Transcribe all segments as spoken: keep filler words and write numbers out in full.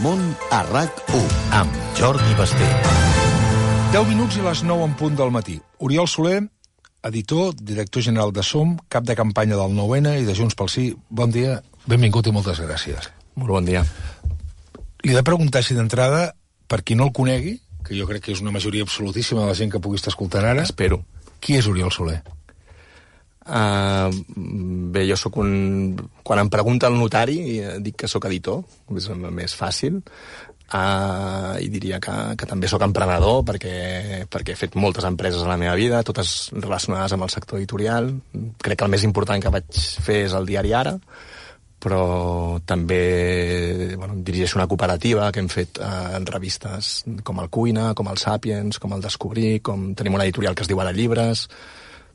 Puigdemont a RAC u amb Jordi Basté. deu minuts i les nou en punt del matí. Oriol Soler, editor, director general de SOM, cap de campanya del nou ene i de Junts pel Sí. Bon dia, benvingut i moltes gràcies. Molt bon dia. Li he de preguntar si d'entrada, per qui no el conegui, que jo crec que és una majoria absolutíssima de la gent que pugui estar escoltant ara... Espero. Qui és Oriol Soler? Uh, bé, jo sóc un... Quan em pregunta el notari, dic que sóc editor, és més fàcil, uh, i diria que, que també sóc emprenedor, perquè, perquè he fet moltes empreses a la meva vida, totes relacionades amb el sector editorial. Crec que el més important que vaig fer és el diari Ara, però també bueno, dirigeixo una cooperativa que hem fet eh, en revistes com el Cuina, com el Sàpiens, com el Descobrir, com tenim una editorial que es diu Ara Llibres,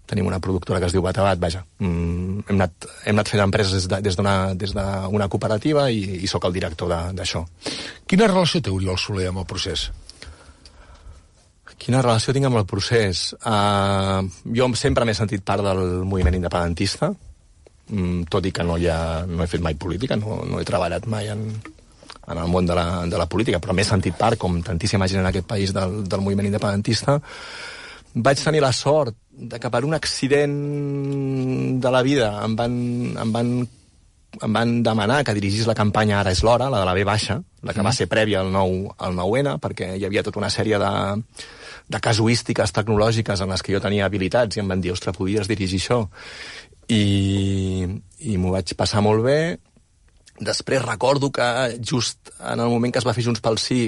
tenim una productora que es diu Batabat, vaja. Mm, hem, anat, hem anat fent empreses des, de, des d'una des d'una cooperativa i, i sóc el director d'això. Quina relació té Oriol Soler amb el procés? Quina relació tinc amb el procés? Uh, jo sempre m'he sentit part del moviment independentista, mm, tot i que no, hi ha, no he fet mai política, no, no he treballat mai en, en el món de la, de la política, però m'he sentit part, com tantíssima gent en aquest país, del, del moviment independentista. Vaig tenir la sort de que per un accident de la vida em van, em van, em van demanar que dirigís la campanya Ara és l'hora, la de la B baixa, la que mm. va ser prèvia al nou, al nou ene, perquè hi havia tota una sèrie de, de casuístiques tecnològiques en les que jo tenia habilitats i em van dir, ostres, podries dirigir això. I, i m'ho vaig passar molt bé. Després recordo que just en el moment que es va fer Junts pel Sí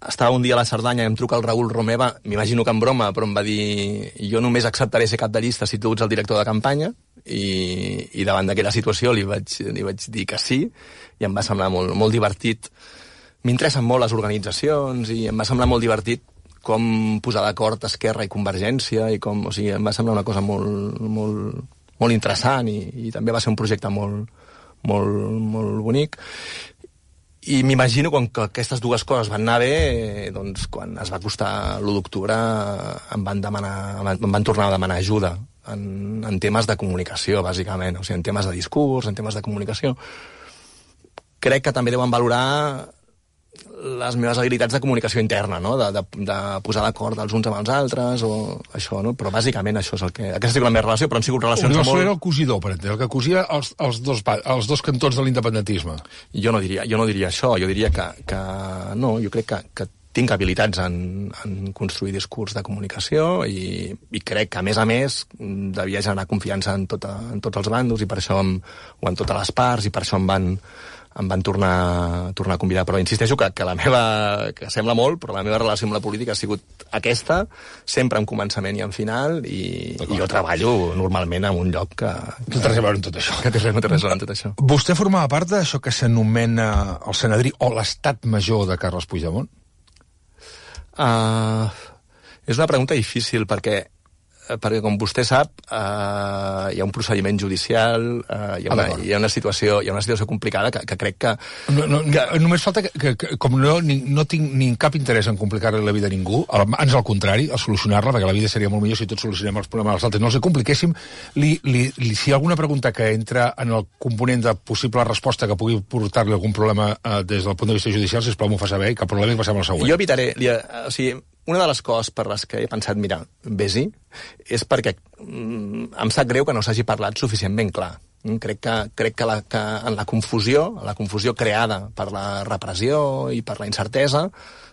estava un dia a la Cerdanya i em truca el Raül Romeva, m'imagino que en broma, però em va dir jo només acceptaré ser cap de llista si tu ets el director de campanya, i, i davant d'aquella situació li vaig, li vaig dir que sí, i em va semblar molt, molt divertit. M'interessen molt les organitzacions i em va semblar molt divertit com posar d'acord Esquerra i Convergència, i com, o sigui, em va semblar una cosa molt, molt, molt interessant, i, i també va ser un projecte molt, molt, molt bonic. I m'imagino quan que aquestes dues coses van anar bé, doncs quan es va acostar l'u d'octubre em van demanar, em van tornar a demanar ajuda en, en temes de comunicació, bàsicament, o sigui, en temes de discurs, en temes de comunicació. Crec que també deuen valorar les meves habilitats de comunicació interna, no? de, de, de posar d'acord els uns amb els altres, o això, no? Però bàsicament això és el que... Aquesta ha sigut la meva relació, però han sigut relacions Oriol molt... Soler era el cosidor, per entendre, el que cosia els, els, dos, els dos cantons de l'independentisme. Jo no diria, jo no diria això, jo diria que, que no, jo crec que, que tinc habilitats en, en construir discurs de comunicació, i, i crec que, a més a més, devia generar confiança en, tota, en tots els bandos, i per això em, o en totes les parts, i per això em van... em van tornar, tornar a convidar, però insisteixo que, que la meva, que sembla molt, però la meva relació amb la política ha sigut aquesta, sempre en començament i en final, i, i jo treballo normalment en un lloc que... Que té res a veure amb tot això. Que té res, no té res a veure amb tot això. Vostè formava part d'això que s'anomena el Sanedrí o l'estat major de Carles Puigdemont? Uh, és una pregunta difícil, perquè perquè com vostè sap eh, hi ha un procediment judicial, eh, hi, ha una, hi ha una situació hi ha una situació complicada que, que crec que... No, no, que... Només falta que, que, que com no, ni, no tinc ni cap interès en complicar-li la vida a ningú, ans al contrari, a solucionar-la, perquè la vida seria molt millor si tots solucionem els problemes dels altres, no els compliquéssim, li, li, li, si hi ha alguna pregunta que entra en el component de possible resposta que pugui portar-li algun problema eh, des del punt de vista judicial, sisplau m'ho fa saber, i cap problema, i passem al següent. Jo evitaré, li, o sigui, una de les coses per les que he pensat, mira, vés-hi, és perquè mm, em sap greu que no s'hagi parlat suficientment clar. Mm, crec que, crec que, la, que en la confusió, la confusió creada per la repressió i per la incertesa,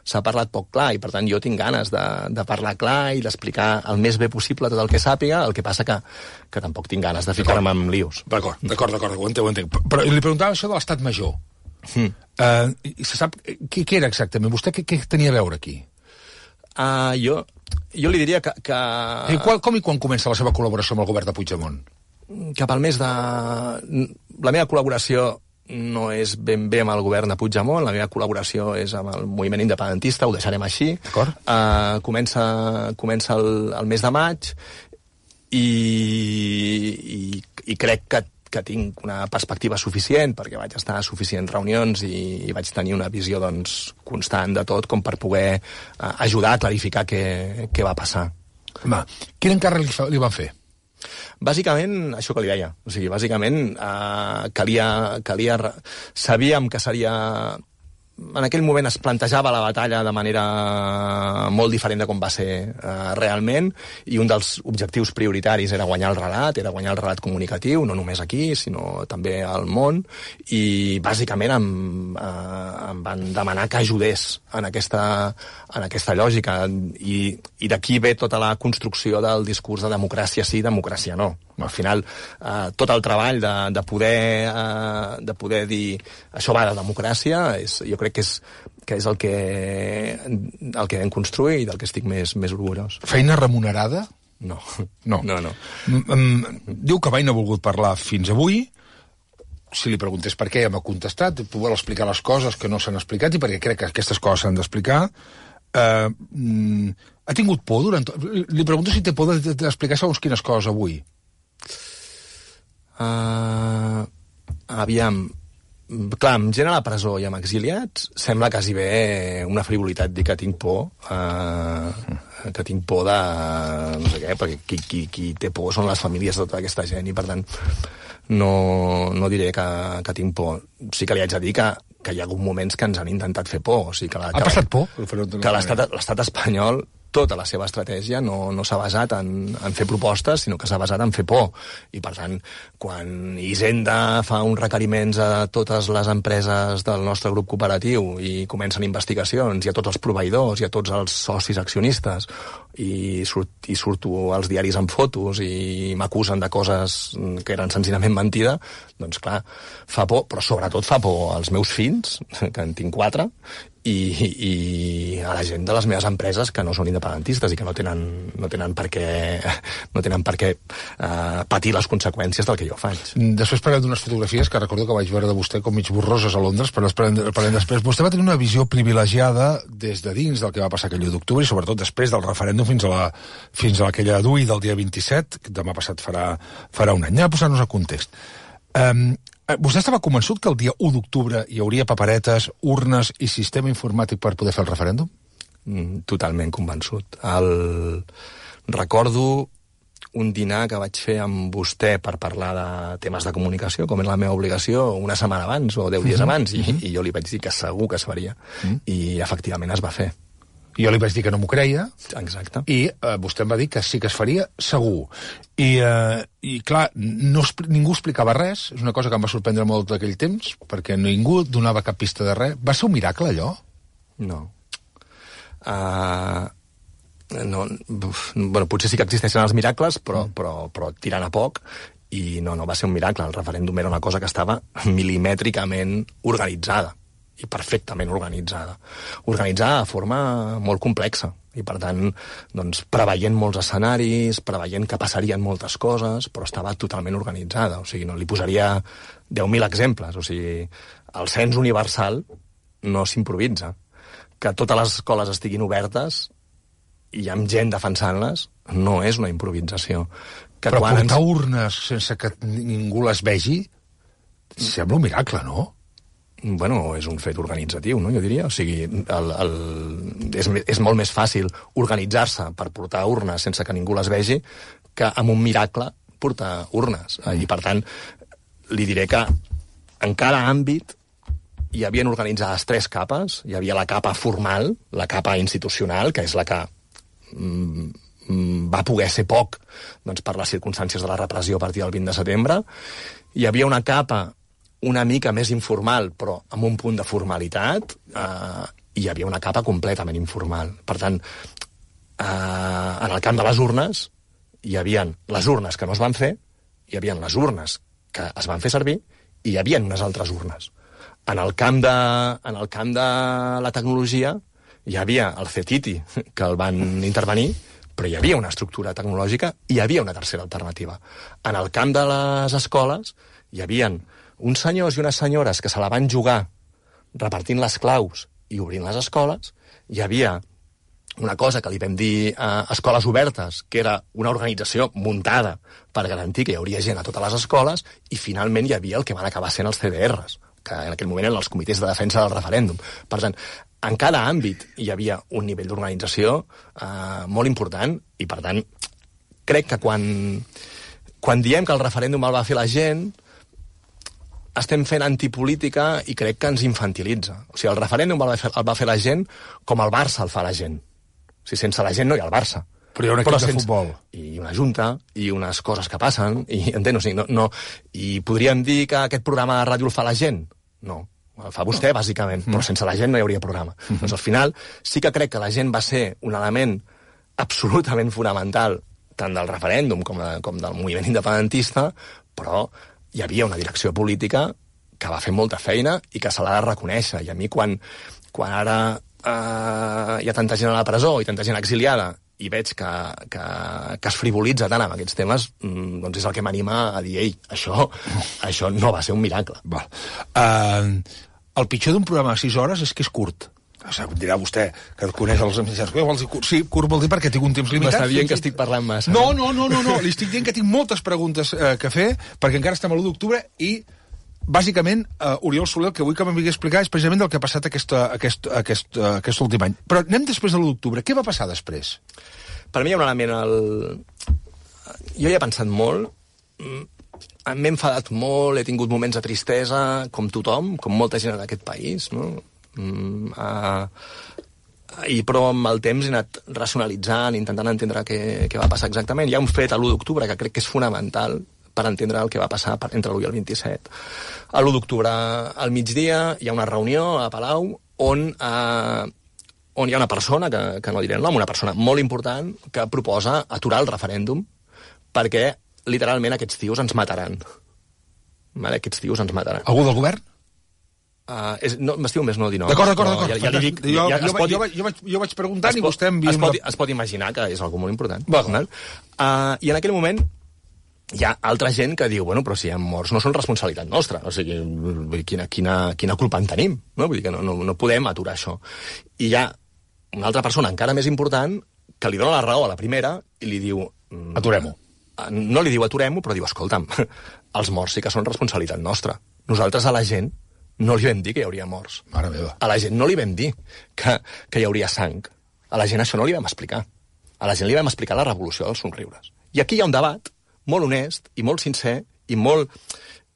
s'ha parlat poc clar, i per tant jo tinc ganes de, de parlar clar i d'explicar el més bé possible tot el que sàpiga, el que passa que, que tampoc tinc ganes de ficar-me en líos. D'acord, d'acord, d'acord, ho entenc, ho entenc. Però li preguntava això de l'estat major. Mm. Uh, se sap què, què era exactament? Vostè què, què tenia a veure aquí? Uh, jo, jo li diria que... que... I qual, com i quan comença la seva col·laboració amb el govern de Puigdemont? Cap al mes de... La meva col·laboració no és ben bé amb el govern de Puigdemont, la meva col·laboració és amb el moviment independentista, ho deixarem així. D'acord. Uh, comença comença el, el mes de maig, i, i, i crec que que tinc una perspectiva suficient, perquè vaig estar a suficients reunions i, i vaig tenir una visió doncs, constant de tot, com per poder uh, ajudar a clarificar què, què va passar. Va, quin encàrrec li, fa, li van fer? Bàsicament, això que li deia. O sigui, bàsicament, eh, calia, calia... Sabíem que seria en aquell moment es plantejava la batalla de manera molt diferent de com va ser eh, realment, i un dels objectius prioritaris era guanyar el relat, era guanyar el relat comunicatiu, no només aquí, sinó també al món, i bàsicament em, eh, em van demanar que ajudés en aquesta, en aquesta lògica, i, i d'aquí ve tota la construcció del discurs de democràcia sí, democràcia no. Al final, eh, tot el treball de, de, poder, eh, de poder dir això va de democràcia, és, jo crec que és, que és el que, el que vam construir i del que estic més, més orgullós. Feina remunerada? No. No. no, no. Mm, diu que mai no ha volgut parlar fins avui. Si li preguntés per què, ja m'ha contestat. Vol explicar les coses que no s'han explicat i perquè crec que aquestes coses s'han d'explicar. Uh, mm, ha tingut por durant... Li pregunto si té por d'explicar segons quines coses avui. Uh, aviam, clar, amb gent a la presó i amb exiliats sembla quasi bé una frivolitat dir que tinc por, uh, que tinc por de no sé què, perquè qui, qui, qui té por són les famílies de tota aquesta gent, i per tant no, no diré que, que tinc por. Sí que li haig de dir que, que hi ha hagut moments que ens han intentat fer por. O sigui, que la, ha que passat por? Que l'estat espanyol, tota la seva estratègia no, no s'ha basat en, en fer propostes, sinó que s'ha basat en fer por. I, per tant, quan Hisenda fa uns requeriments a totes les empreses del nostre grup cooperatiu i comencen investigacions, i a tots els proveïdors, i a tots els socis accionistes, i, surt, i surto als diaris amb fotos i m'acusen de coses que eren senzillament mentida, doncs, clar, fa por, però sobretot fa por als meus fills, que en tinc quatre, i, i a la gent de les meves empreses que no són independentistes i que no tenen, no tenen per què, no tenen per què uh, patir les conseqüències del que jo faig. Després parlem d'unes fotografies que recordo que vaig veure de vostè com mig borroses a Londres, però parlem, parlem després. Vostè va tenir una visió privilegiada des de dins del que va passar aquell u d'octubre i sobretot després del referèndum fins a, la, fins a aquella d'avui del dia vint-i-set, que demà passat farà, farà un any. Anem a posar-nos a context. Um, Vostè estava convençut que el dia u d'octubre hi hauria paperetes, urnes i sistema informàtic per poder fer el referèndum? Mm, totalment convençut. El... Recordo un dinar que vaig fer amb vostè per parlar de temes de comunicació, com és la meva obligació, una setmana abans o deu dies abans, i, i jo li vaig dir que segur que es faria. Mm. I efectivament es va fer. Jo li vaig dir que no m'ho creia. Exacte. I eh, vostè em va dir que sí que es faria, segur. I, eh, i clar, no, ningú explicava res. És una cosa que em va sorprendre molt d'aquell temps, perquè ningú donava cap pista de res. Va ser un miracle, allò? No. Uh, no uf, bueno, potser sí que existeixen els miracles, però, mm. però, però tirant a poc. I no, no va ser un miracle. El referèndum era una cosa que estava milimètricament organitzada. I perfectament organitzada. Organitzada de forma molt complexa. I, per tant, doncs, preveient molts escenaris, preveient que passarien moltes coses, però estava totalment organitzada. O sigui, no li posaria deu mil exemples. O sigui, el cens universal no s'improvisa. Que totes les escoles estiguin obertes i hi ha gent defensant-les no és una improvisació. Que però quan portar ens... urnes sense que ningú les vegi sembla un miracle, no? Bueno, és un fet organitzatiu, no?, jo diria. O sigui, el, el, és, és molt més fàcil organitzar-se per portar urnes sense que ningú les vegi que amb un miracle portar urnes. Mm. I, per tant, li diré que en cada àmbit hi havien organitzades tres capes. Hi havia la capa formal, la capa institucional, que és la que mm, va poder ser poc doncs, per les circumstàncies de la repressió a partir del vint de setembre. Hi havia una capa una mica més informal, però amb un punt de formalitat, eh, hi havia una capa completament informal. Per tant, eh, en el camp de les urnes, hi havia les urnes que no es van fer, hi havia les urnes que es van fer servir, i hi havia unes altres urnes. En el camp de, en el camp de la tecnologia, hi havia el C E T I T I, que el van intervenir, però hi havia una estructura tecnològica i hi havia una tercera alternativa. En el camp de les escoles, hi havia uns senyors i unes senyores que se la van jugar repartint les claus i obrint les escoles. Hi havia una cosa que li vam dir a Escoles Obertes, que era una organització muntada per garantir que hi hauria gent a totes les escoles, i finalment hi havia el que van acabar sent els C D Rs, que en aquell moment eren els comitès de defensa del referèndum. Per tant, en cada àmbit hi havia un nivell d'organització eh, molt important, i per tant, crec que quan, quan diem que el referèndum el va fer la gent, estem fent antipolítica i crec que ens infantilitza. O sigui, el referèndum el va fer, el va fer la gent com el Barça el fa la gent. O sigui, sense la gent no hi ha el Barça. Però hi ha un equip de futbol. I una junta, i unes coses que passen, i, entens? O sigui, no, no, i podríem dir que aquest programa de ràdio el fa la gent? No. El fa vostè, bàsicament, però sense la gent no hi hauria programa. Mm-hmm. Doncs al final sí que crec que la gent va ser un element absolutament fonamental tant del referèndum com, de, com del moviment independentista, però hi havia una direcció política que va fer molta feina i que se l'ha de reconèixer. I a mi, quan, quan ara eh, hi ha tanta gent a la presó i tanta gent exiliada i veig que, que, que es frivolitza tant amb aquests temes, doncs és el que m'anima a dir, ei, això, això no va ser un miracle. Val. Uh, el pitjor d'un programa de sis hores és que és curt. O sigui, dirà vostè, que coneix els mitjans. Sí, curt vol dir perquè tinc un temps limitat. M'està dient que estic parlant massa. No, no, no, no, no. Li estic dient que tinc moltes preguntes eh, que fer, perquè encara estem a l'u d'octubre i, bàsicament, uh, Oriol Soler, el que vull que m'havia explicar és precisament del que ha passat aquest, aquest, aquest, uh, aquest últim any. Però anem després de l'u d'octubre. Què va passar després? Per mi hi ha un element... El... Jo hi he pensat molt, m'he enfadat molt, he tingut moments de tristesa, com tothom, com molta gent en aquest país, no? Mm, uh, i però amb el temps he anat racionalitzant, intentant entendre què, què va passar exactament. Hi ha un fet a l'u d'octubre que crec que és fonamental per entendre el que va passar entre l'u i el vint-i-set. A l'u d'octubre, al migdia, hi ha una reunió a Palau on, uh, on hi ha una persona, que, que no diré el nom, una persona molt important, que proposa aturar el referèndum perquè, literalment, aquests tios ens mataran. Vale? Aquests tios ens mataran. Algú del govern? Uh, és, no, m'estiu més no dir no. D'acord, d'acord, d'acord. Ja, ja li dic, jo, ja, jo, pot, jo, jo, vaig, jo vaig preguntant i pot, vostè em... Es pot, la... es pot imaginar que és algú molt important. Va, uh, I en aquell moment hi ha altra gent que diu, bueno, però si hi ha morts no són responsabilitat nostra, o sigui, quina, quina, quina culpa en tenim, no? Vull dir que no, no, no podem aturar això. I hi ha una altra persona encara més important que li dona la raó a la primera i li diu... Aturem-ho. No li diu aturem-ho, però diu, escolta'm, els morts sí que són responsabilitat nostra. Nosaltres a la gent no li vam dir que hi hauria morts. Mare meva. A la gent no li vam dir que, que hi hauria sang. A la gent això no li vam explicar. A la gent li vam explicar la revolució dels somriures. I aquí hi ha un debat molt honest i molt sincer i molt...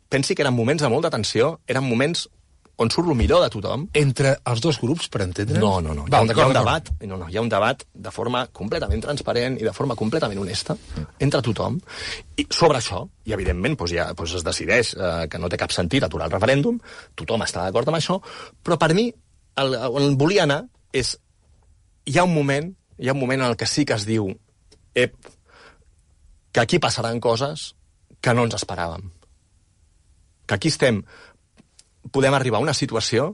Pensi que eren moments de molta tensió, eren moments on surt el millor de tothom. Entre els dos grups, per entendre? No, no, no. Hi ha, un, hi ha un debat, no, no, hi ha un debat de forma completament transparent i de forma completament honesta entre tothom. I sobre això, i evidentment doncs ja, doncs es decideix eh, que no té cap sentit aturar el referèndum, tothom està d'acord amb això, però per mi, el, on volia anar és... Hi ha un moment, hi ha un moment en el que sí que es diu ep, que aquí passaran coses que no ens esperàvem. Que aquí estem... podem arribar a una situació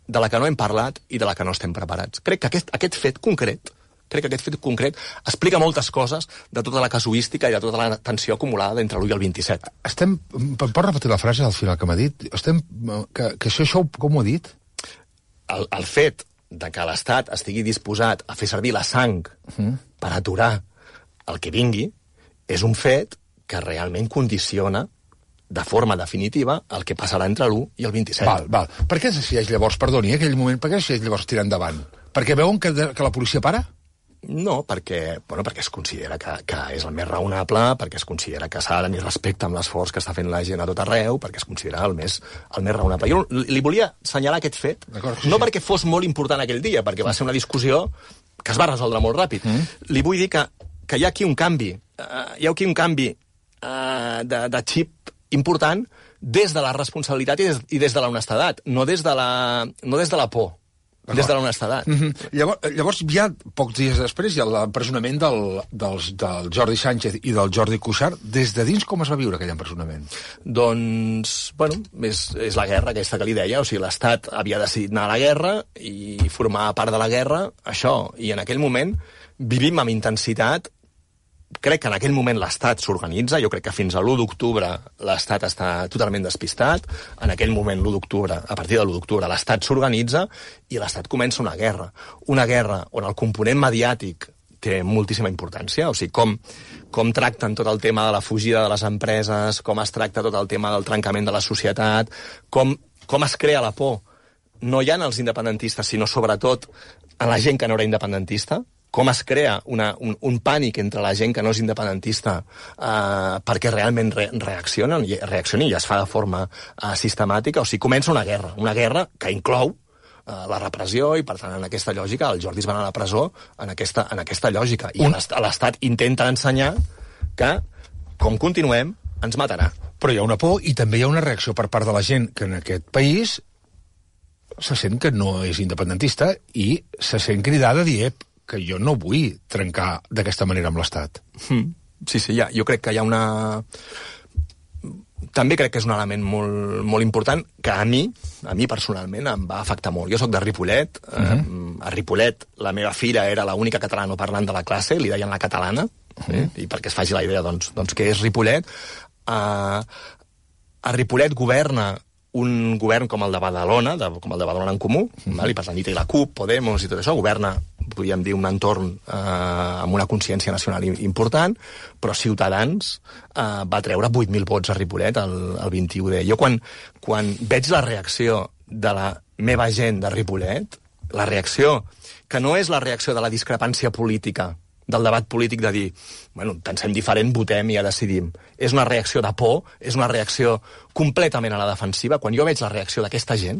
de la que no hem parlat i de la que no estem preparats. Crec que aquest, aquest fet concret, crec que aquest fet concret explica moltes coses de tota la casuística i de tota la tensió acumulada entre l'u i el vint-i-set. Estem... Pot repetir la frase al final que m'ha dit? Estem... Que, que això, això com ho ha dit? El, el fet de que l'Estat estigui disposat a fer servir la sang uh-huh. per aturar el que vingui és un fet que realment condiciona de forma definitiva el que passarà entre l'u i el vint-i-set. Val, val. Per què es decideix llavors, perdoni, aquell moment, per què es decideix llavors tirar endavant? Perquè veuen que, que la policia para? No, perquè, bueno, perquè es considera que, que és el més raonable, perquè es considera que s'ha de tenir respecte amb l'esforç que està fent la gent a tot arreu, perquè es considera el més, el més raonable. Jo li volia assenyalar aquest fet, sí, no sí. perquè fos molt important aquell dia, perquè va ser una discussió que es va resoldre molt ràpid. Mm. Li vull dir que, que hi ha aquí un canvi, uh, hi ha aquí un canvi uh, de, de xip important des de la responsabilitat i des, i des de la honestedat, no des de la, no des de la por, des de la honestedat. Mm-hmm. Llavors, llavors, ja pocs dies després, hi ha l'empresonament del, del, del Jordi Sánchez i del Jordi Cuixart. Des de dins, com es va viure aquell empresonament? Doncs, bueno, és, és la guerra aquesta que li deia, o sigui, l'Estat havia decidit anar a la guerra i formar part de la guerra, això, i en aquell moment vivim amb intensitat. Crec que en aquell moment l'Estat s'organitza, jo crec que fins a l'u d'octubre l'Estat està totalment despistat, en aquell moment l'u d'octubre, a partir de l'u d'octubre l'Estat s'organitza i l'Estat comença una guerra. Una guerra on el component mediàtic té moltíssima importància, o sigui, com, com tracten tot el tema de la fugida de les empreses, com es tracta tot el tema del trencament de la societat, com, com es crea la por, no ja en els independentistes, sinó sobretot en la gent que no era independentista, com es crea una, un, un pànic entre la gent que no és independentista eh, perquè realment re, reaccionen, i, reaccionen i es fa de forma eh, sistemàtica. O sigui, comença una guerra, una guerra que inclou eh, la repressió i, per tant, en aquesta lògica, els Jordis van a la presó en aquesta, en aquesta lògica. I un... l'Estat intenta ensenyar que, com continuem, ens matarà. Però hi ha una por i també hi ha una reacció per part de la gent que en aquest país se sent que no és independentista i se sent cridada a dir que jo no vull trencar d'aquesta manera amb l'Estat. Mm. Sí, sí, ja, jo crec que hi ha una... També crec que és un element molt, molt important que a mi, a mi personalment, em va afectar molt. Jo sóc de Ripollet. Mm-hmm. eh, a Ripollet la meva filla era l'única catalanoparlant de la classe, li deien la catalana, mm-hmm. eh? I perquè es faci la idea, doncs, doncs què és Ripollet. Uh, a Ripollet governa un govern com el de Badalona, de, com el de Badalona en Comú, mm-hmm. val? I per tant hi té la CUP, Podemos i tot això, governa, podríem dir, un entorn eh, amb una consciència nacional important, però Ciutadans eh, va treure vuit mil vots a Ripollet el, el vint-i-u de. Jo quan, quan veig la reacció de la meva gent de Ripollet, la reacció, que no és la reacció de la discrepància política, del debat polític de dir, bueno, pensem diferent, votem i ja decidim. És una reacció de por, és una reacció completament a la defensiva. Quan jo veig la reacció d'aquesta gent,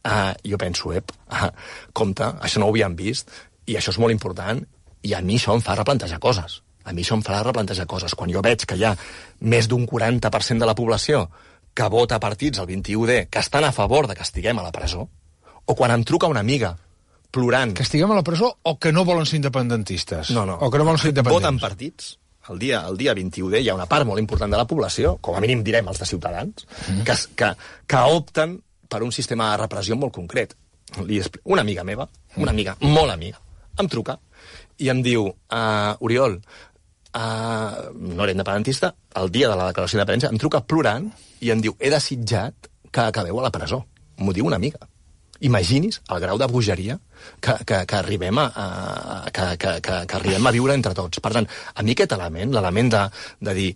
uh, jo penso, ep, uh, compte, això no ho havíem vist, i això és molt important, i a mi això em fa replantejar coses. A mi això em farà replantejar coses. Quan jo veig que hi ha més d'un quaranta per cent de la població que vota partits el vint-i-u de que estan a favor de que estiguem a la presó, o quan em truca una amiga plorant... Que estiguem a la presó o que no volen ser independentistes? No, no. O que no volen ser independents? Voten partits. El dia, el dia vint-i-u de hi ha una part molt important de la població, com a mínim direm els de Ciutadans, mm. que, que, que opten per un sistema de repressió molt concret. Li expl... Una amiga meva, una amiga molt amiga, em truca i em diu, uh, Oriol, uh, no era independentista, el dia de la declaració d'independència, em truca plorant i em diu, he desitjat que acabeu a la presó. M'ho diu una amiga. Imagini's el grau de bogeria que, que, que, arribem a, a, que, que, que, que arribem a viure entre tots. Per tant, a mi aquest element, l'element de, de dir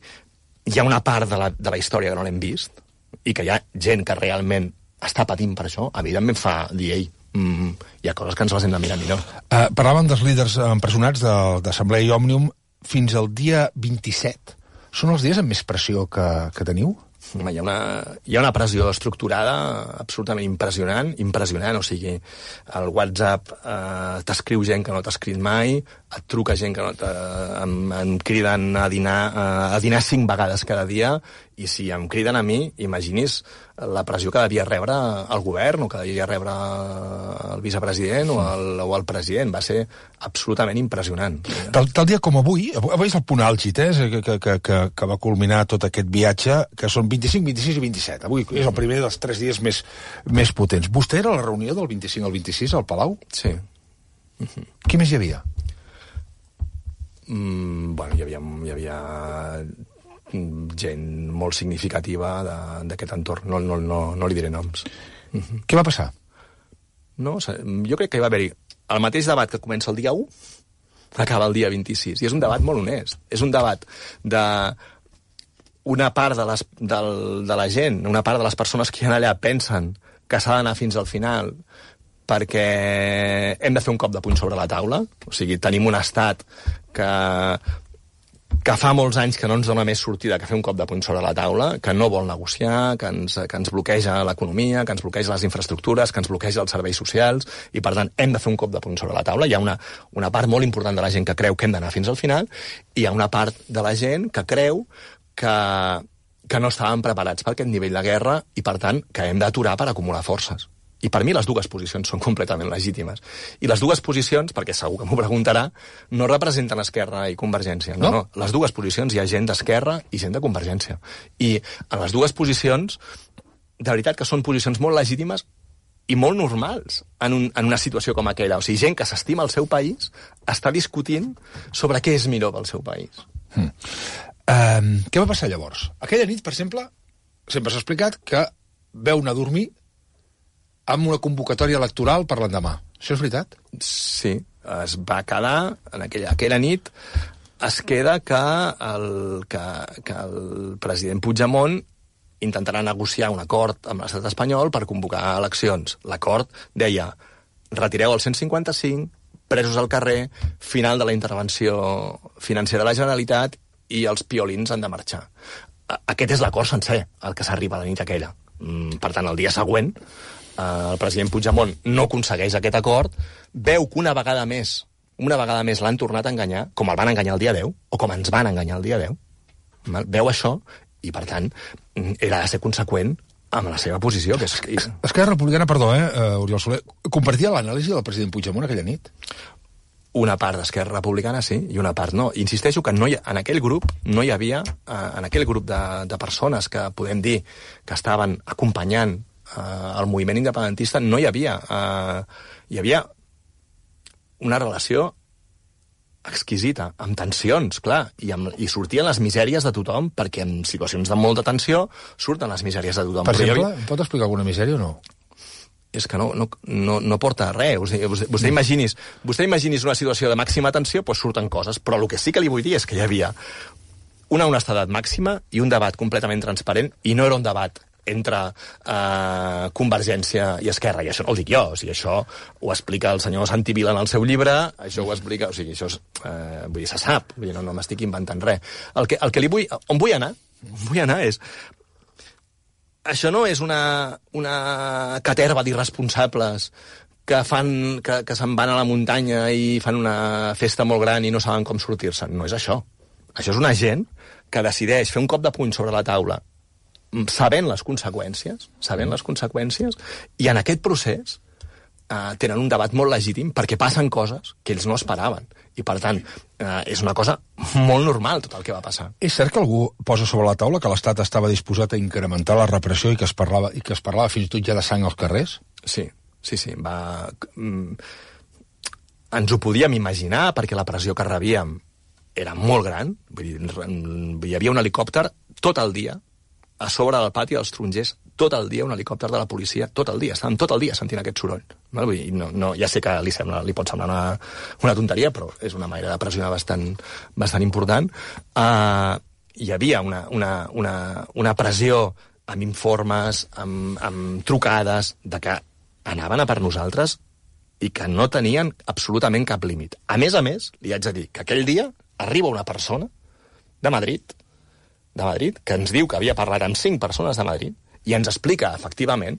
hi ha una part de la, de la història que no l'hem vist i que hi ha gent que realment està patint per això, evidentment fa dir, ei, mm, hi ha coses que ens les hem de mirar millor. Uh, parlàvem dels líders empresonats d'Assemblea i Òmnium fins al dia vint-i-set. Són els dies amb més pressió que, que teniu? Home, hi ha una, hi ha una pressió estructurada absolutament impressionant, impressionant, o sigui, el WhatsApp eh, t'escriu gent que no t'ha escrit mai, et truca gent que no t'ha... Em, em criden a dinar, eh, a dinar cinc vegades cada dia, i si em criden a mi, imagini's la pressió que devia rebre el govern o que devia rebre el vicepresident o el, o el president. Va ser absolutament impressionant. Tal, tal dia com avui, avui és el punt àlgid, eh, que, que, que, que, que va culminar tot aquest viatge, que són vint-i-cinc, vint-i-sis i vint-i-set. Avui és el primer dels tres dies més, més potents. Vostè era a la reunió del vint-i-cinc al vint-i-sis al Palau? Sí. Uh-huh. Qui més hi havia? Mm, bueno, hi havia... Hi havia gent molt significativa d'aquest entorn. No, no, no, no li diré noms. Uh-huh. Què va passar? No, jo crec que hi va haver-hi el mateix debat que comença el dia u, acaba el dia vint-i-sis. I és un debat molt honest. És un debat de una part de, les, del, de la gent, una part de les persones que hi ha allà pensen que s'ha d'anar fins al final perquè hem de fer un cop de puny sobre la taula. O sigui, tenim un estat que... que fa molts anys que no ens dona més sortida que fer un cop de puny sobre la taula, que no vol negociar, que ens, que ens bloqueja l'economia, que ens bloqueja les infraestructures, que ens bloqueja els serveis socials, i per tant hem de fer un cop de puny sobre la taula. Hi ha una, una part molt important de la gent que creu que hem d'anar fins al final, i hi ha una part de la gent que creu que, que no estàvem preparats per aquest nivell de guerra i, per tant, que hem d'aturar per acumular forces. I per mi les dues posicions són completament legítimes. I les dues posicions, perquè segur que m'ho preguntarà, no representen Esquerra i Convergència. No, no. no. Les dues posicions hi ha gent d'Esquerra i gent de Convergència. I en les dues posicions, de veritat que són posicions molt legítimes i molt normals en, un, en una situació com aquella. O sigui, gent que s'estima el seu país està discutint sobre què és millor pel seu país. Hmm. Um, què va passar llavors? Aquella nit, per exemple, sempre s'ha explicat que veu anar a dormir amb una convocatòria electoral per l'endemà. Això és veritat? Sí, es va quedar, en aquella, aquella nit, es queda que el, que, que el president Puigdemont intentarà negociar un acord amb l'estat espanyol per convocar eleccions. L'acord deia, retireu el cent cinquanta-cinc, presos al carrer, final de la intervenció financera de la Generalitat i els piolins han de marxar. Aquest és l'acord sencer, el que s'arriba a la nit aquella. Per tant, el dia següent, el president Puigdemont no aconsegueix aquest acord, veu que una vegada més, una vegada més l'han tornat a enganyar, com el van enganyar el dia deu, o com ens van enganyar el dia deu. Veu això i, per tant, era de ser conseqüent amb la seva posició. Que és... Esquerra Republicana, perdó, eh, Oriol Soler, compartia l'anàlisi del president Puigdemont aquella nit? Una part d'Esquerra Republicana sí, i una part no. Insisteixo que no hi ha, en aquell grup no hi havia, eh, en aquell grup de, de persones que podem dir que estaven acompanyant eh, el moviment independentista, no hi havia... Eh, hi havia una relació exquisita, amb tensions, clar, i, amb, i sortien les misèries de tothom, perquè en situacions de molta tensió surten les misèries de tothom. Per exemple, havia... pot explicar alguna misèria o no? És que no, no, no, no porta a res. O sigui, vostè, vostè, imaginis, vostè imaginis una situació de màxima tensió, doncs surten coses, però el que sí que li vull dir és que hi havia una honestedat màxima i un debat completament transparent, i no era un debat entre eh, Convergència i Esquerra, i això no ho dic jo, o sigui, això ho explica el senyor Santi Vila en el seu llibre, això ho explica, o sigui, això és, eh, vull dir, se sap, vull dir, no, no m'estic inventant res. El que, el que li vull, on vull anar, on vull anar és, això no és una, una caterva d'irresponsables que fan, que, que se'n van a la muntanya i fan una festa molt gran i no saben com sortir-se'n, no és això. Això és una gent que decideix fer un cop de puny sobre la taula sabent les conseqüències, sabent les conseqüències, i en aquest procés eh, tenen un debat molt legítim perquè passen coses que ells no esperaven. I, per tant, eh, és una cosa molt normal tot el que va passar. És cert que algú posa sobre la taula que l'Estat estava disposat a incrementar la repressió i que es parlava, i que es parlava fins i tot ja de sang als carrers? Sí, sí, sí. Va... Ens ho podíem imaginar perquè la pressió que rebíem era molt gran. Vull dir, hi havia un helicòpter tot el dia a sobre del pati dels Tarongers, tot el dia un helicòpter de la policia, tot el dia, estàvem tot el dia sentint aquest soroll. No? Vull dir, no, no, ja sé que li, sembla, li pot semblar una, una tonteria, però és una manera de pressionar bastant, bastant important. Uh, hi havia una, una, una, una pressió amb informes, amb, amb trucades, de que anaven a per nosaltres i que no tenien absolutament cap límit. A més a més, li haig de dir que aquell dia arriba una persona de Madrid, de Madrid, que ens diu que havia parlat amb cinc persones de Madrid i ens explica, efectivament,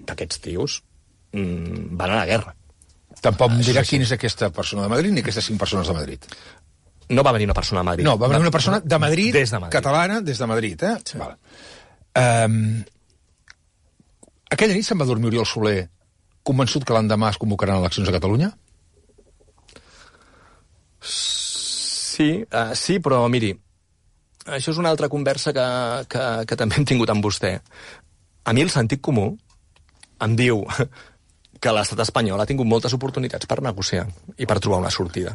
que aquests tios mmm, van a la guerra. Tampoc em dirà quina és aquesta persona de Madrid ni aquestes cinc persones de Madrid. No va venir una persona de Madrid. No, va venir una persona de Madrid, des de Madrid. Catalana, des de Madrid, eh? Sí. Vale. Um, aquella nit se'n va dormir Oriol Soler convençut que l'endemà es convocaran eleccions a Catalunya? Sí, uh, sí, però miri, això és una altra conversa que, que, que també hem tingut amb vostè. A mi el sentit comú em diu que l'estat espanyol ha tingut moltes oportunitats per negociar i per trobar una sortida.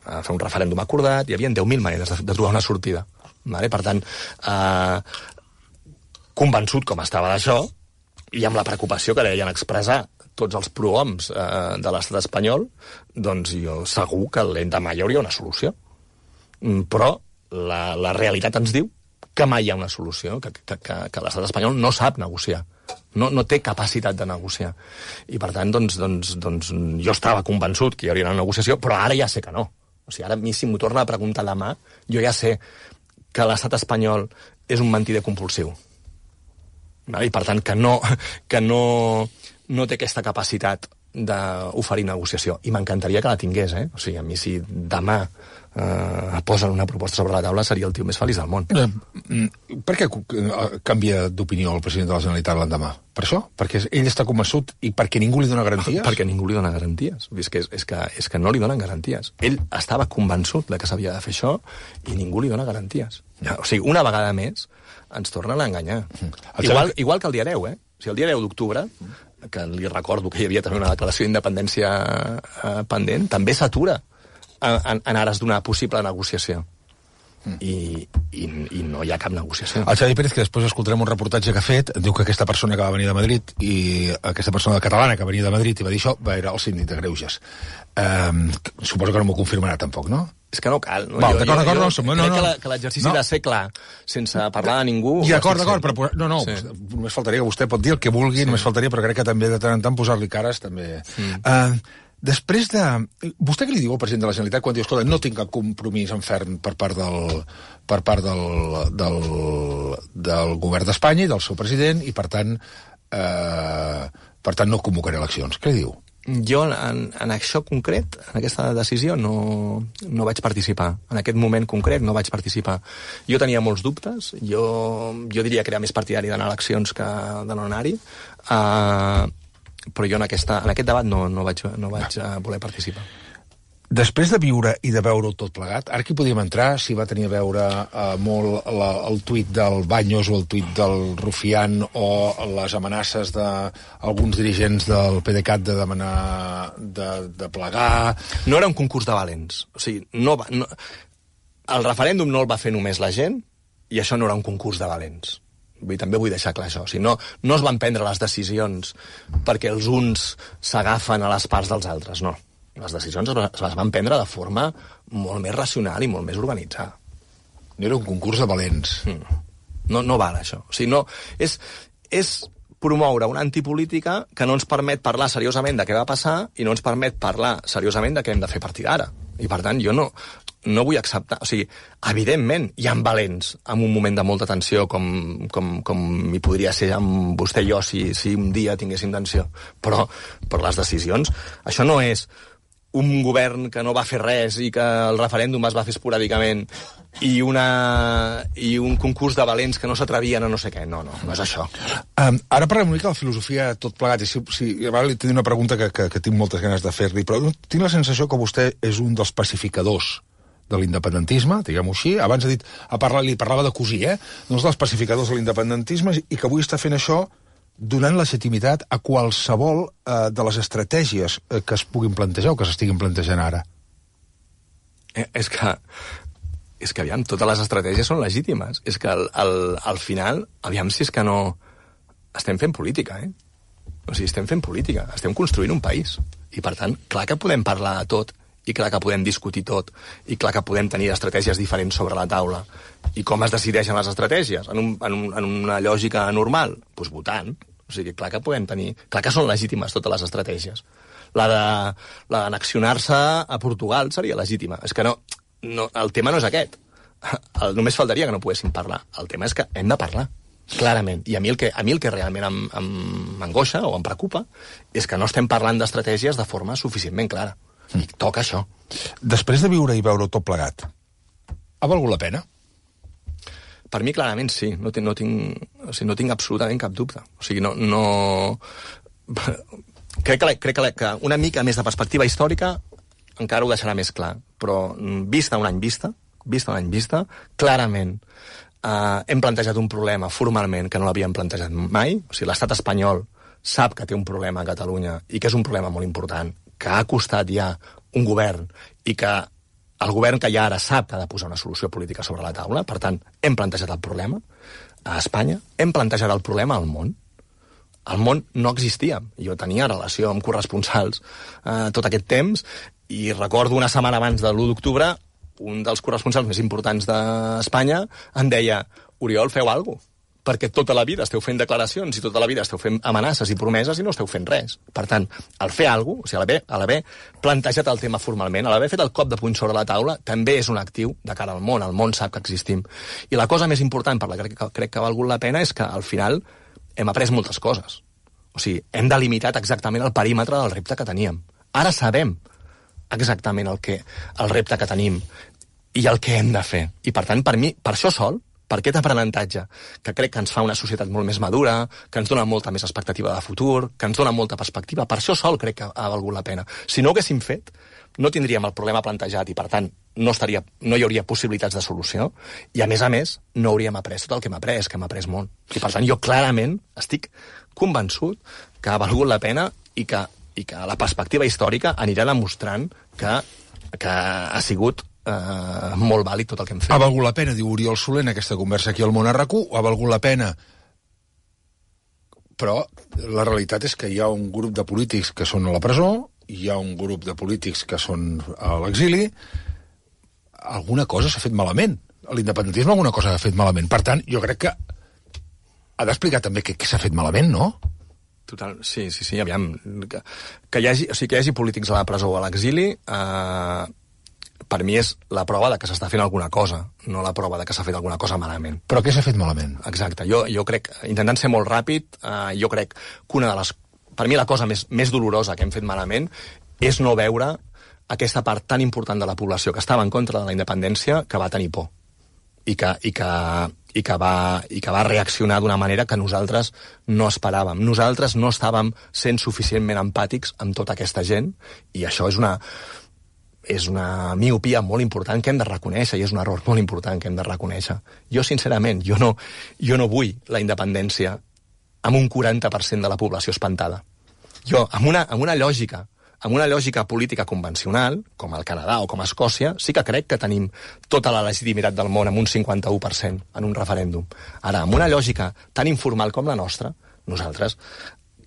A fer un referèndum acordat, hi havia deu mil maneres de, de trobar una sortida. Vale? Per tant, eh, convençut com estava d'això, i amb la preocupació que deien expressar tots els prohoms eh, de l'estat espanyol, doncs jo segur que l'endemà hi hauria una solució. Però La, la realitat ens diu que mai hi ha una solució, que, que, que, que l'estat espanyol no sap negociar, no, no té capacitat de negociar. I, per tant, doncs, doncs, doncs, jo estava convençut que hi hauria una negociació, però ara ja sé que no. O sigui, ara a mi, si m'ho torna a preguntar demà, jo ja sé que l'estat espanyol és un mentider compulsiu. I, per tant, que no, que no, no té aquesta capacitat d'oferir negociació. I m'encantaria que la tingués, eh? O sigui, a mi, si demà Uh, posen una proposta sobre la taula, seria el tio més feliç del món. Uh, per què canvia d'opinió el president de la Generalitat l'endemà? Per això? Perquè ell està convençut i perquè ningú li dona garanties? Perquè ningú li dona garanties. És que, és, que, és que no li donen garanties. Ell estava convençut de que s'havia de fer això i ningú li dona garanties. O sigui, una vegada més ens tornen a enganyar. Igual, igual que el dia deu, eh? O sigui, el dia deu d'octubre, que li recordo que hi havia també una declaració d'independència uh, pendent, també s'atura En, en ares d'una possible negociació. I, i, i no hi ha cap negociació. El Xavi Pérez, que després escoltarem un reportatge que ha fet, diu que aquesta persona que va venir de Madrid i aquesta persona catalana que venia de Madrid i va dir això, va era el síndic de Greuges. Um, suposo que no m'ho confirmarà tampoc, no? És que no cal. No? Val, d'acord, d'acord, no, no, no, crec que l'exercici no. ha de ser clar, sense parlar de ningú. I d'acord, d'acord, però no, no, sí. Només faltaria que vostè pot dir el que vulgui, sí. Només faltaria, però crec que també de tant en tant posar-li cares també. Mm. Uh, Després de... Vostè què li diu al president de la Generalitat quan diu, escolta, no tinc cap compromís en ferm per part del, per part del, del, del govern d'Espanya i del seu president, i per tant, eh, per tant no convocaré eleccions. Què li diu? Jo, en, en això concret, en aquesta decisió, no, no vaig participar. En aquest moment concret no vaig participar. Jo tenia molts dubtes. Jo, jo diria que era més partidari d'anar a eleccions que de no anar-hi. Uh, però jo en, aquesta, en aquest debat no, no vaig, no vaig uh, voler participar. Després de viure i de veure-ho tot plegat, ara aquí podíem entrar si va tenir a veure eh, molt la, el tuit del Baños o el tuit del Rufián o les amenaces d'alguns dirigents del PDeCAT de demanar de, de plegar... No era un concurs de valents. O sigui, no va, no, el referèndum no el va fer només la gent i això no era un concurs de valents. Vull, també vull deixar clar això. O sigui, no, no es van prendre les decisions perquè els uns s'agafen a les parts dels altres, no. Les decisions es les van prendre de forma molt més racional i molt més organitzada. No era un concurs de valents. Mm. No, no val, això. O sigui, no, és, és promoure una antipolítica que no ens permet parlar seriosament de què va passar i no ens permet parlar seriosament de què hem de fer a partir d'ara. I, per tant, jo no, no vull acceptar... O sigui, evidentment, hi ha valents en un moment de molta tensió com, com, com hi podria ser amb vostè i jo si, si un dia tinguéssim tensió. Però, però les decisions... Això no és un govern que no va fer res i que el referèndum es va fer esporàdicament i, una, i un concurs de valents que no s'atrevien a no sé què. No, no, no és això. Um, ara parlem una mica de la filosofia tot plegat. I si, si, ara li tinc una pregunta que, que, que tinc moltes ganes de fer-li, però tinc la sensació que vostè és un dels pacificadors de l'independentisme, diguem-ho així. Abans ha dit, a parlar, li parlava de cosir, eh? Doncs dels pacificadors de l'independentisme i que avui està fent això donant legitimitat a qualsevol eh, de les estratègies eh, que es puguin plantejar o que s'estiguin plantejant ara. Eh, és que, és que, aviam, totes les estratègies són legítimes. És que al, al, al final, aviam si és que no... Estem fent política, eh? O sigui, estem fent política, estem construint un país. I, per tant, clar que podem parlar de tot, i clar que podem discutir tot, i clar que podem tenir estratègies diferents sobre la taula. I com es decideixen les estratègies? En, un, en, un, en una lògica normal? Doncs pues votant. O sigui, clar que podem tenir... Clar que són legítimes totes les estratègies. La de la d'anexionar-se a Portugal seria legítima. És que no, no... El tema no és aquest. El, només faltaria que no poguéssim parlar. El tema és que hem de parlar, clarament. I a mi el que, a mi el que realment m'angoixa o em preocupa és que no estem parlant d'estratègies de forma suficientment clara. I toca això. Després de viure i veure tot plegat, ha valgut la pena? Per mi, clarament, sí. No tinc, no tinc, o sigui, no tinc absolutament cap dubte. O sigui, no... no... Crec, que, crec que, que una mica més de perspectiva històrica encara ho deixarà més clar. Però vista un any vista, vista un any vista, clarament eh, hem plantejat un problema formalment que no l'havíem plantejat mai. O sigui, l'estat espanyol sap que té un problema a Catalunya i que és un problema molt important, que ha costat ja un govern i que el govern que hi ha ara sap que ha de posar una solució política sobre la taula. Per tant, hem plantejat el problema a Espanya, hem plantejat el problema al món. Al món no existia. Jo tenia relació amb corresponsals eh, tot aquest temps i recordo una setmana abans de l'u d'octubre un dels corresponsals més importants d'Espanya em deia: Oriol, feu alguna cosa, perquè tota la vida esteu fent declaracions i tota la vida esteu fent amenaces i promeses i no esteu fent res. Per tant, al fer alguna cosa, o sigui, a l'haver plantejat el tema formalment, a l'haver fet el cop de puny sobre la taula, també és un actiu de cara al món. El món sap que existim. I la cosa més important per la que crec, crec que ha valgut la pena és que, al final, hem après moltes coses. O sigui, hem delimitat exactament el perímetre del repte que teníem. Ara sabem exactament el, que, el repte que tenim i el que hem de fer. I, per tant, per mi, per això sol, per aquest aprenentatge, que crec que ens fa una societat molt més madura, que ens dona molta més expectativa de futur, que ens dona molta perspectiva, per això sol crec que ha valgut la pena. Si no ho haguéssim fet, no tindríem el problema plantejat i, per tant, no, estaria, no hi hauria possibilitats de solució i, a més a més, no hauríem après tot el que hem après, que hem après molt. I, per tant, jo clarament estic convençut que ha valgut la pena i que, i que la perspectiva històrica anirà demostrant que, que ha sigut Uh, molt vàlid tot el que hem fet. Ha valgut la pena, diu Oriol Soler, en aquesta conversa aquí al Món a RAC u, ha valgut la pena. Però la realitat és que hi ha un grup de polítics que són a la presó, hi ha un grup de polítics que són a l'exili. Alguna cosa s'ha fet malament. L'independentisme alguna cosa s'ha fet malament. Per tant, jo crec que ha d'explicar també què, què s'ha fet malament, no? Total, sí, sí, sí, aviam. Que, que, hi, hagi, o sigui, que hi hagi polítics a la presó o a l'exili, eh, per mi és la prova de que s'està fent alguna cosa, no la prova de que s'ha fet alguna cosa malament. Però què s'ha fet malament? Exacte. Jo, jo crec, intentant ser molt ràpid, eh, jo crec que una de les... Per mi la cosa més, més dolorosa que hem fet malament és no veure aquesta part tan important de la població que estava en contra de la independència que va tenir por i que, i que, i que, va, i que va reaccionar d'una manera que nosaltres no esperàvem. Nosaltres no estàvem sent suficientment empàtics amb tota aquesta gent i això és una... és una miopia molt important que hem de reconèixer i és un error molt important que hem de reconèixer. Jo, sincerament, jo no, jo no vull la independència amb un quaranta per cent de la població espantada. Jo, amb una, amb una lògica amb una lògica política convencional, com el Canadà o com Escòcia, sí que crec que tenim tota la legitimitat del món amb un cinquanta-u per cent en un referèndum. Ara, amb una lògica tan informal com la nostra, nosaltres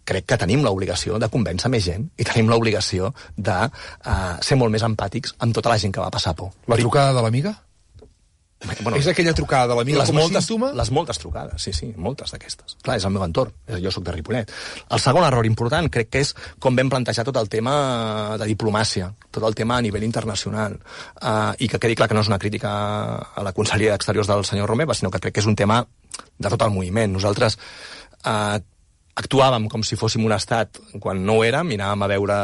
crec que tenim l'obligació de convèncer més gent i tenim l'obligació de uh, ser molt més empàtics amb tota la gent que va passar por. La trucada de l'amiga? Bueno, és aquella trucada de l'amiga com a moltes, símptoma? Les moltes trucades, sí, sí, moltes d'aquestes. Clar, és el meu entorn, jo sóc de Ripollet. El segon error important crec que és com vam plantejar tot el tema de diplomàcia, tot el tema a nivell internacional, uh, i que quedi clar que no és una crítica a la Conselleria d'Exteriors del senyor Romeva, sinó que crec que és un tema de tot el moviment. Nosaltres uh, actuàvem com si fóssim un estat quan no ho érem, i anàvem a veure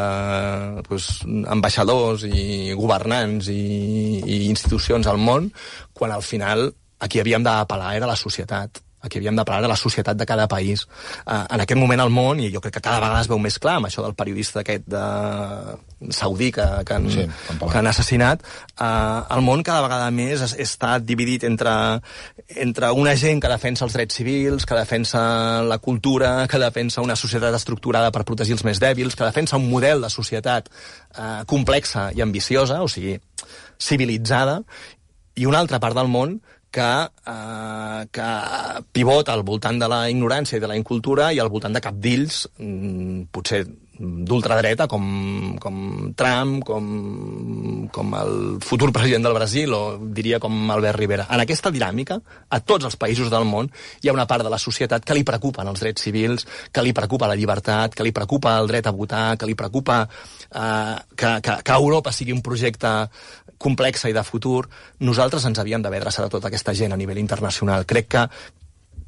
pues, ambaixadors i governants i, i institucions al món, quan al final a qui havíem d'apel·lar era la societat. A qui havíem d'apel·lar era la societat de cada país. Uh, en aquest moment al món, i jo crec que cada vegada es veu més clar amb això del periodista aquest de saudí que, que, han, sí, que han assassinat, uh, el món cada vegada més es, està dividit entre, entre una gent que defensa els drets civils, que defensa la cultura, que defensa una societat estructurada per protegir els més dèbils, que defensa un model de societat uh, complexa i ambiciosa, o sigui, civilitzada, i una altra part del món que, eh, que pivota al voltant de la ignorància i de la incultura i al voltant de cabdills, mm, potser d'ultradreta, com, com Trump, com, com el futur president del Brasil, o diria com Albert Rivera. En aquesta dinàmica, a tots els països del món, hi ha una part de la societat que li preocupen els drets civils, que li preocupa la llibertat, que li preocupa el dret a votar, que li preocupa eh, que, que, que Europa sigui un projecte complexa i de futur. Nosaltres ens havíem d'haver adreçat a tota aquesta gent a nivell internacional. Crec que,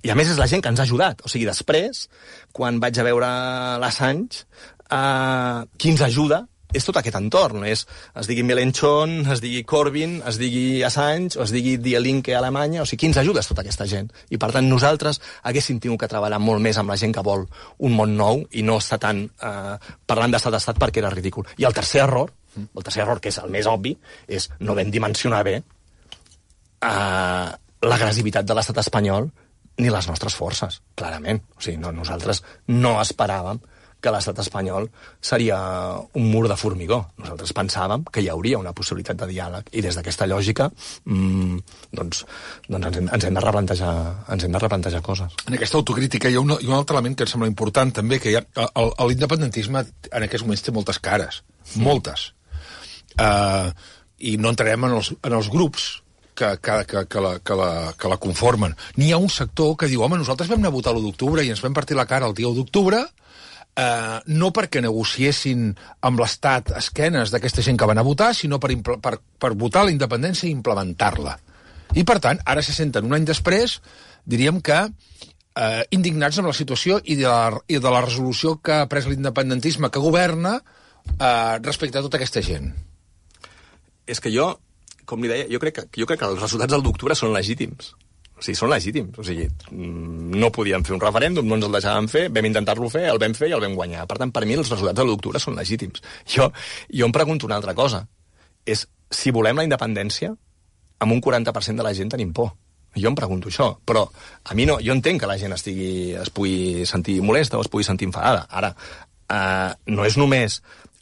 i a més és la gent que ens ha ajudat, o sigui, després, quan vaig a veure l'Assange, eh, qui ens ajuda és tot aquest entorn, és, es digui Mélenchon, es digui Corbyn, es digui Assange, o es digui Die Linke a Alemanya, o sigui, qui ens ajuda és tota aquesta gent. I, per tant, nosaltres haguéssim tingut que treballar molt més amb la gent que vol un món nou i no estar tant eh, parlant d'estat-estat perquè era ridícul. I el tercer error, el tercer error, que és el més obvi, és no vam dimensionar bé eh, l'agressivitat de l'estat espanyol ni les nostres forces, clarament. O sigui, no, nosaltres no esperàvem que l'estat espanyol seria un mur de formigó. Nosaltres pensàvem que hi hauria una possibilitat de diàleg, i des d'aquesta lògica mmm, doncs, doncs ens, hem, ens, hem de replantejar, ens hem de replantejar coses. En aquesta autocrítica hi ha un, hi ha un altre element que em sembla important també, que hi ha, l'independentisme en aquests moments té moltes cares, mm. moltes. Uh, I no entrarem en els, en els grups que, que, que, que, la, que, la, que la conformen. N'hi ha un sector que diu, home, nosaltres vam anar a votar l'u d'octubre i ens vam partir la cara el dia u d'octubre, Uh, no perquè negociessin amb l'Estat esquenes d'aquesta gent que van a votar, sinó per, per, per votar la independència i implementar-la. I, per tant, ara se senten un any després, diríem que uh, indignats amb la situació i de la, i de la resolució que ha pres l'independentisme que governa uh, respecte a tota aquesta gent. És que jo, com li deia, jo crec que, jo crec que els resultats del d'octubre són legítims. O sigui, són legítims. O sigui, no podíem fer un referèndum, no ens el deixàvem fer, vam intentar-lo fer, el vam fer i el vam guanyar. Per tant, per mi els resultats de l'u d'octubre són legítims. Jo, jo em pregunto una altra cosa. És, si volem la independència, amb un quaranta per cent de la gent tenim por. Jo em pregunto això. Però a mi no, jo entenc que la gent estigui, es pugui sentir molesta o es pugui sentir enfadada. Ara, eh, no és només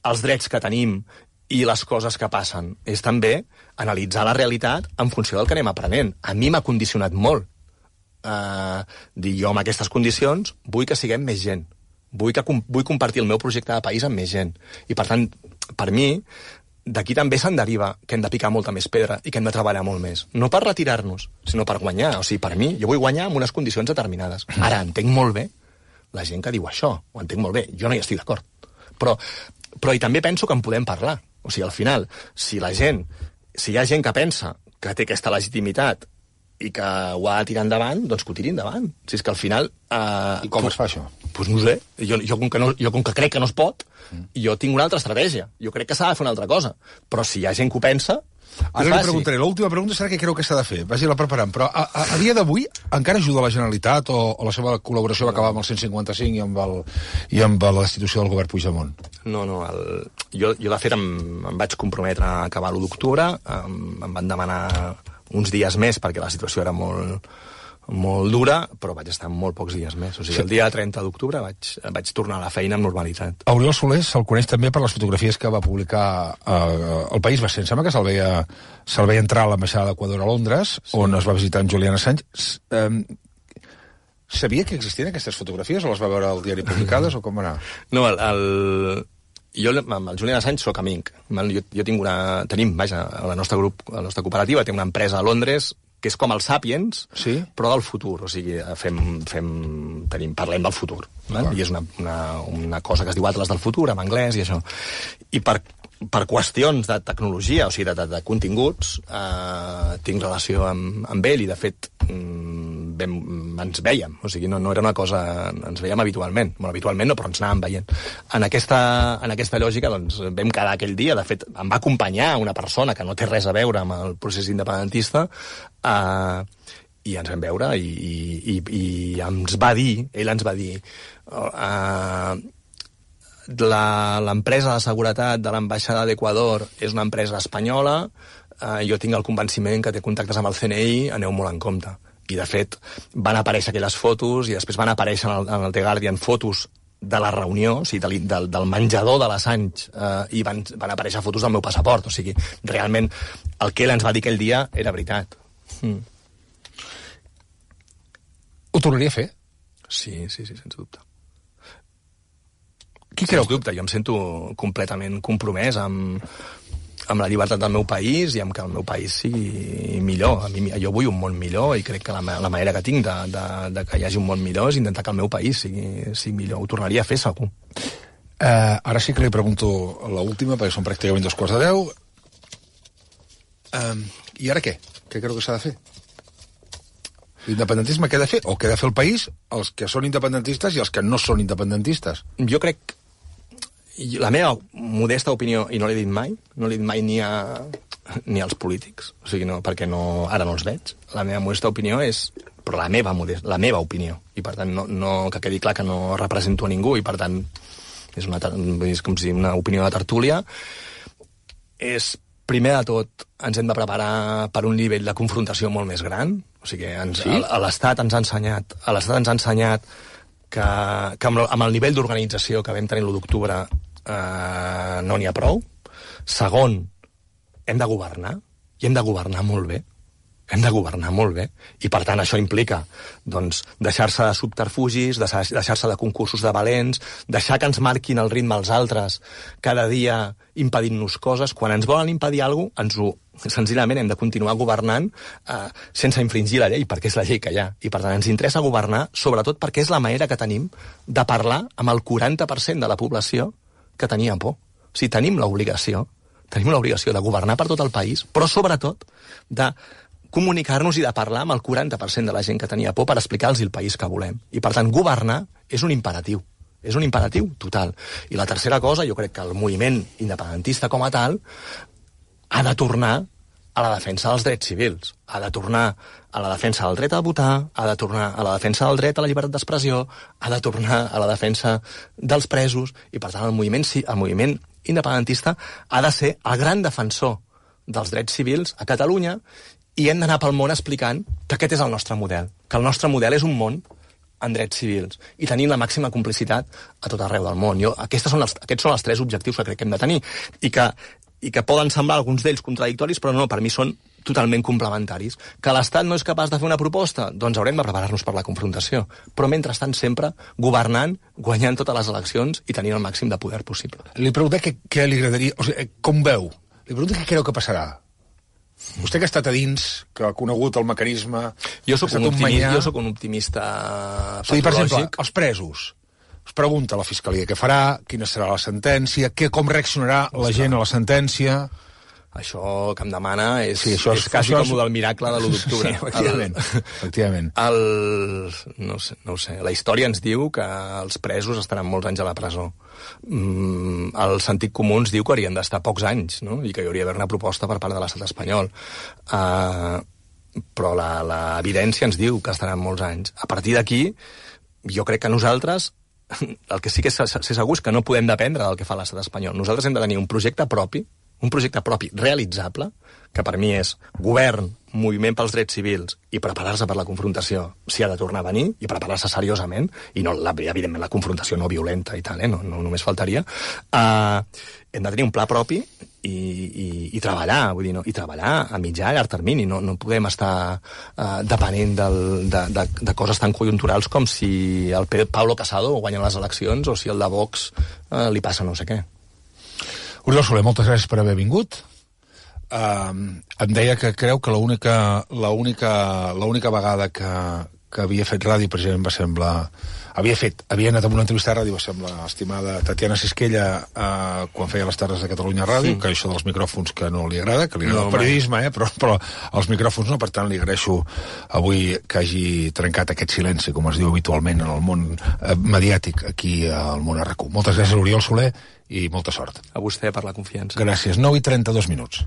els drets que tenim i les coses que passen, és també analitzar la realitat en funció del que anem aprenent. A mi m'ha condicionat molt. Uh, dir, jo amb aquestes condicions vull que siguem més gent. Vull, que, vull compartir el meu projecte de país amb més gent. I, per tant, per mi, d'aquí també se'n deriva que hem de picar molta més pedra i que hem de treballar molt més. No per retirar-nos, sinó per guanyar. O sigui, per mi, jo vull guanyar amb unes condicions determinades. Ara, entenc molt bé la gent que diu això, ho entenc molt bé, jo no hi estic d'acord. Però, però i també penso que en podem parlar. O sigui, al final, si la gent, si hi ha gent que pensa que té aquesta legitimitat i que ho ha de tirar endavant, doncs que ho tiri endavant. Si és que al final... Eh, I com tu, es fa això? Doncs pues no ho sé. Jo, jo, com que no, jo com que crec que no es pot, mm. jo tinc una altra estratègia. Jo crec que s'ha de fer una altra cosa. Però si hi ha gent que ho pensa... Ara li preguntaré, l'última pregunta serà què creu que s'ha de fer. Vagi-la preparant. Però a, a, a dia d'avui encara ajuda la Generalitat o, o la seva col·laboració va acabar amb el cent cinquanta cinc i amb, el, i amb la destitució del govern Puigdemont? No, no. El, jo, jo, de fet, em, em vaig comprometre a acabar l'u d'octubre. Em, em van demanar uns dies més perquè la situació era molt, molt dura, però vaig estar molt pocs dies més. O sigui, sí. El dia trenta d'octubre vaig, vaig tornar a la feina amb normalitat. A Oriol Soler se'l coneix també per les fotografies que va publicar eh, El País Bastent. Em sembla que se'l veia, se'l veia entrar a l'ambaixada d'Equador a Londres, sí. On es va visitar en Julian Assange. Eh, sabia que existien aquestes fotografies o les va veure al diari publicades o com va anar? No, el... el... Jo amb el Julian Assange soc amic. Jo, jo tinc una... Tenim, vaja, la nostra grup, la nostra cooperativa té una empresa a Londres que és com el Sapiens, sí? Però del futur. O sigui, fem, fem, tenim, parlem del futur. Ah. I és una, una, una cosa que es diu Atlas del futur, en anglès, i això. I per, per qüestions de tecnologia, o sigui, de, de, de continguts, eh, tinc relació amb, amb ell, i de fet vam, ens vèiem. O sigui, no, no era una cosa... Ens veiem habitualment. Bueno, habitualment no, però ens anàvem veient. En aquesta, en aquesta lògica, doncs, vam quedar aquell dia. De fet, em va acompanyar una persona que no té res a veure amb el procés independentista, eh, i ens vam veure, i, i, i, i ens va dir, ell ens va dir, eh, l'empresa de seguretat de l'ambaixada d'Equador és una empresa espanyola, eh, jo tinc el convenciment que té contactes amb el C N I, aneu molt en compte. I, de fet, van aparèixer aquelles fotos i després van aparèixer en el, en el The Guardian fotos de la reunió, o sigui, del, del, del menjador de l'Assange, eh, i van, van aparèixer fotos del meu passaport. O sigui, realment, el que ell ens va dir aquell dia era veritat. Mm. Ho tornaria a fer? Sí, sí, sí, sens dubte. Qui creu? Sens dubte, jo em sento completament compromès amb, amb la llibertat del meu país i amb que el meu país sigui millor. A mi, jo vull un món millor i crec que la, la manera que tinc de, de, de que hi hagi un món millor és intentar que el meu país sigui, sigui millor. Ho tornaria a fer, segur. Uh, ara sí que li pregunto l'última, perquè són pràcticament dos quarts de deu. Uh, I ara què? Què creu que s'ha de fer? L'independentisme què ha de fer? O què ha de fer el país, els que són independentistes i els que no són independentistes? Jo crec... La meva modesta opinió, i no l'he dit mai, no l'he dit mai ni, a, ni als polítics, o sigui, no, perquè no, ara no els veig. La meva modesta opinió és... Però la meva, modesta, la meva opinió. I, per tant, no, no, que quedi clar que no represento a ningú, i, per tant, és, una, és com si una opinió de tertúlia. És, primer de tot, ens hem de preparar per un nivell de confrontació molt més gran. O sigui, ens, sí? a, a l'Estat ens ha ensenyat, a l'Estat ens ha ensenyat que, que amb, amb el nivell d'organització que vam tenir l'u d'octubre Uh, no n'hi ha prou. Segon, hem de governar, i hem de governar molt bé. Hem de governar molt bé. I, per tant, això implica doncs, deixar-se de subterfugis, deixar-se de concursos de valents, deixar que ens marquin el ritme els altres cada dia impedint-nos coses. Quan ens volen impedir alguna cosa, ens ho, senzillament hem de continuar governant eh, sense infringir la llei, perquè és la llei que hi ha. I, per tant, ens interessa governar, sobretot perquè és la manera que tenim de parlar amb el quaranta per cent de la població que tenia por. O sigui, tenim l'obligació, tenim l'obligació de governar per tot el país, però sobretot de comunicar-nos i de parlar amb el quaranta per cent de la gent que tenia por per explicar-los el país que volem. I, per tant, governar és un imperatiu. És un imperatiu total. I la tercera cosa, jo crec que el moviment independentista com a tal ha de tornar a la defensa dels drets civils, ha de tornar a la defensa del dret a votar, ha de tornar a la defensa del dret a la llibertat d'expressió, ha de tornar a la defensa dels presos, i per tant el moviment, el moviment independentista ha de ser el gran defensor dels drets civils a Catalunya, i hem d'anar pel món explicant que aquest és el nostre model, que el nostre model és un món en drets civils, i tenir la màxima complicitat a tot arreu del món. Jo, aquests, són els, aquests són els tres objectius que crec que hem de tenir, i que i que poden semblar alguns d'ells contradictoris, però no, per mi són totalment complementaris. Que l'Estat no és capaç de fer una proposta? Doncs haurem de preparar-nos per la confrontació. Però, mentrestant, sempre governant, guanyant totes les eleccions i tenint el màxim de poder possible. Li pregunté què, què li agradaria... O sigui, com veu? Li pregunté què creu que passarà. Vostè que ha estat a dins, que ha conegut el mecanisme... Jo soc un, un, optimista, jo soc un optimista patològic. Sí, per exemple, els presos... es pregunta a la Fiscalia què farà, quina serà la sentència, què, com reaccionarà la gent a la sentència... Això que em demana és, sí, això és, és quasi això com és... del miracle de l'u d'octubre. Sí, efectivament. El, efectivament. El, no, sé, no ho sé. La història ens diu que els presos estaran molts anys a la presó. Mm, el sentit comú ens diu que haurien d'estar pocs anys, no? I que hi hauria d'haver una proposta per part de l'estat espanyol. Uh, però l'evidència ens diu que estaran molts anys. A partir d'aquí, jo crec que nosaltres... El que sí que és segur és que no podem dependre del que fa l'estat espanyol. Nosaltres hem de tenir un projecte propi, un projecte propi realitzable, que per mi és govern, moviment pels drets civils i preparar-se per la confrontació si ha de tornar a venir, i preparar-se seriosament, i no, la, evidentment la confrontació no violenta i tal, eh? no, no només faltaria. Uh, hem de tenir un pla propi i, i, i treballar, vull dir, no? I treballar a mitjà i llarg termini. No, no podem estar uh, depenent del, de, de, de coses tan conjunturals com si el Pablo Casado guanya les eleccions o si el de Vox uh, li passa no sé què. Oriol Soler, moltes gràcies per haver vingut. Uh, em deia que creu que l'única l'única l'única vegada que, que havia fet ràdio precisament va semblar... Havia fet, havia anat a una entrevista de ràdio, va semblar estimada Tatiana Sisquella uh, quan feia les tardes de Catalunya Ràdio, sí. Que això dels micròfons que no li agrada, que li agrada no, el periodisme, eh, però, però els micròfons no, per tant li agraeixo avui que hagi trencat aquest silenci, com es diu habitualment en el món uh, mediàtic aquí al món R Q. Moltes gràcies, Oriol Soler, i molta sort. A vostè per la confiança. Gràcies. nou i trenta-dos minuts.